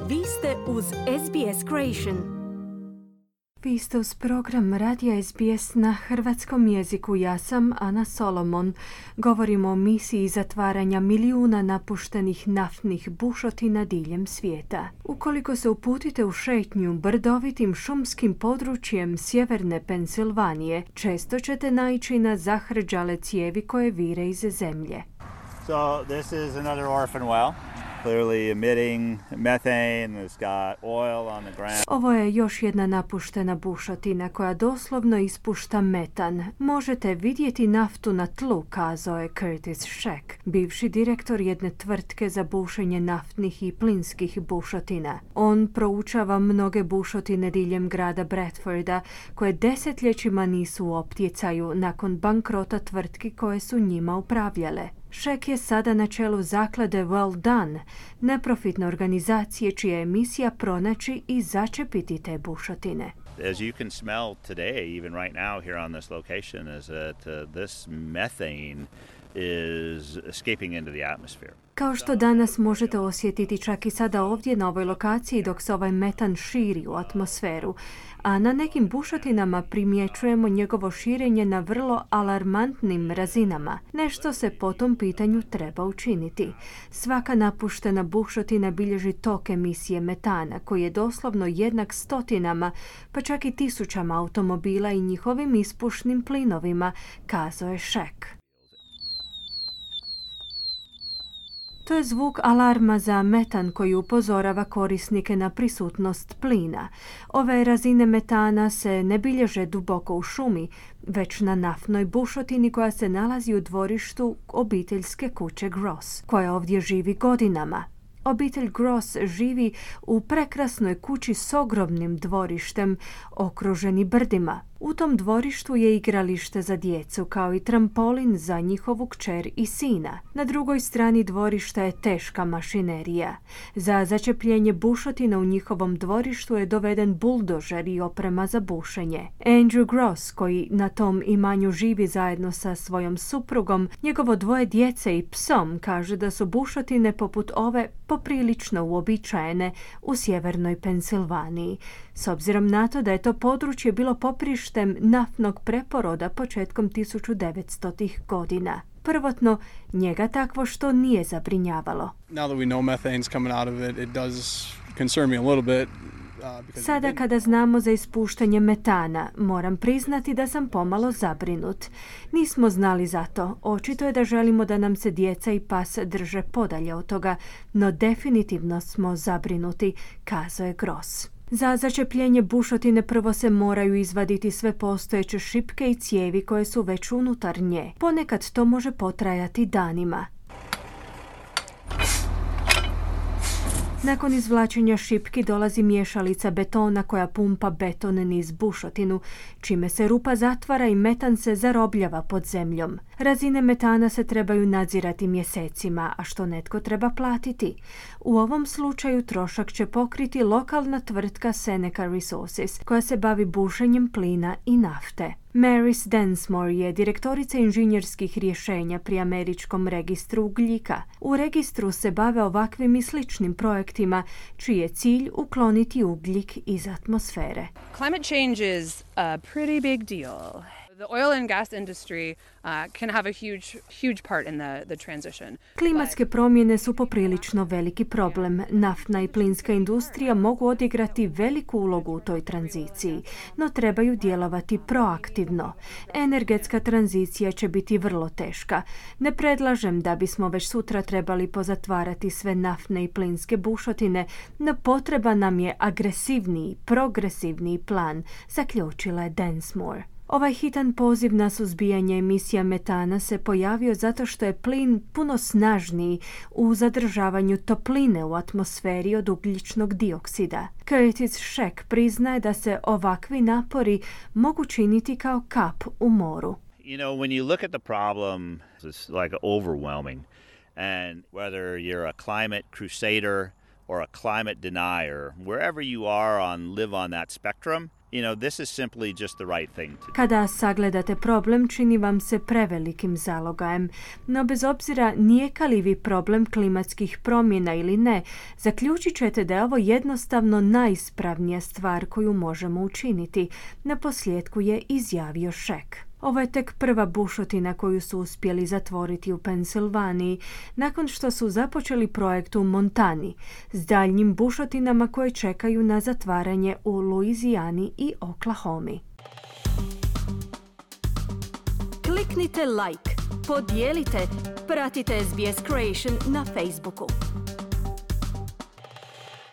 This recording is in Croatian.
Vi ste uz SBS Creation. Vi ste uz program Radija SBS na hrvatskom jeziku. Ja sam Ana Solomon. Govorimo o misiji zatvaranja milijuna napuštenih naftnih bušotina diljem svijeta. Ukoliko se uputite u šetnju brdovitim šumskim područjem sjeverne Pensilvanije, često ćete naići na zahrđale cijevi koje vire iz zemlje. So this is another orphan well. Clearly emitting methane. It's got oil on the ground. Ovo je još jedna napuštena bušotina koja doslovno ispušta metan. Možete vidjeti naftu na tlu, kazao je Curtis Scheck, bivši direktor jedne tvrtke za bušenje naftnih i plinskih bušotina. On proučava mnoge bušotine diljem grada Bradforda koje desetljećima nisu u optjecaju nakon bankrota tvrtki koje su njima upravljale. Scheck je sada na čelu zaklade Well Done, neprofitne organizacije čija je misija pronaći i začepiti te bušotine. As you can smell today, even right now here on this location, is that this methane is escaping into the atmosphere. Kao što danas možete osjetiti čak i sada ovdje na ovoj lokaciji dok se ovaj metan širi u atmosferu, a na nekim bušotinama primjećujemo njegovo širenje na vrlo alarmantnim razinama. Nešto se po tom pitanju treba učiniti. Svaka napuštena bušotina bilježi tok emisije metana koji je doslovno jednak stotinama, pa čak i tisućama automobila i njihovim ispušnim plinovima, kazao je Scheck. To je zvuk alarma za metan koji upozorava korisnike na prisutnost plina. Ove razine metana se ne bilježe duboko u šumi, već na naftnoj bušotini koja se nalazi u dvorištu obiteljske kuće Gross, koja ovdje živi godinama. Obitelj Gross živi u prekrasnoj kući s ogromnim dvorištem, okruženi brdima. U tom dvorištu je igralište za djecu, kao i trampolin za njihovu kćer i sina. Na drugoj strani dvorišta je teška mašinerija. Za začepljenje bušotina u njihovom dvorištu je doveden buldožer i oprema za bušenje. Andrew Gross, koji na tom imanju živi zajedno sa svojom suprugom, njegovo dvoje djece i psom, kaže da su bušotine poput ove poprilično uobičajene u sjevernoj Pensilvaniji, s obzirom na to da je to područje bilo poprištem naftnog preporoda početkom 1900-ih godina. Prvotno, njega takvo što nije zabrinjavalo. Now that we know methane's coming out of it, it does concern me a little bit. Sada kada znamo za ispuštanje metana, moram priznati da sam pomalo zabrinut. Nismo znali za to. Očito je da želimo da nam se djeca i pas drže podalje od toga, no definitivno smo zabrinuti, kazao je Gross. Za začepljenje bušotine prvo se moraju izvaditi sve postojeće šipke i cijevi koje su već unutar nje. Ponekad to može potrajati danima. Nakon izvlačenja šipki dolazi miješalica betona koja pumpa beton niz bušotinu, čime se rupa zatvara i metan se zarobljava pod zemljom. Razine metana se trebaju nadzirati mjesecima, a što netko treba platiti. U ovom slučaju trošak će pokriti lokalna tvrtka Seneca Resources, koja se bavi bušenjem plina i nafte. Maris Densmore je direktorica inženjerskih rješenja pri Američkom registru ugljika. U registru se bave ovakvim i sličnim projektima, čiji je cilj ukloniti ugljik iz atmosfere. Climate change is a pretty big deal. The oil and gas industry can have a huge part in the transition. Klimatske promjene su poprilično veliki problem. Naftna i plinska industrija mogu odigrati veliku ulogu u toj tranziciji, no trebaju djelovati proaktivno. Energetska tranzicija će biti vrlo teška. Ne predlažem da bismo već sutra trebali pozatvarati sve naftne i plinske bušotine, no potreba nam je agresivniji, progresivniji plan, zaključila je Densmore. Ovaj hitan poziv na suzbijanje emisija metana se pojavio zato što je plin puno snažniji u zadržavanju topline u atmosferi od ugljičnog dioksida. Curtis Scheck priznaje da se ovakvi napori mogu činiti kao kap u moru. You know, when you look at the problem, it's like overwhelming. And whether you're a climate crusader or a climate denier, wherever you are live on that spectrum, This is simply just the right thing to do. Kada sagledate problem, čini vam se prevelikim zalogajem. No bez obzira nijeka li vi problem klimatskih promjena ili ne, zaključit ćete da je ovo jednostavno najispravnija stvar koju možemo učiniti. Naposljetku je izjavio Šek. Ovo je tek prva bušotina koju su uspjeli zatvoriti u Pensilvaniji, nakon što su započeli projekt u Montani, s daljnjim bušotinama koje čekaju na zatvaranje u Luizijani i Oklahomi. Kliknite like, podijelite, pratite SBS Creation na Facebooku.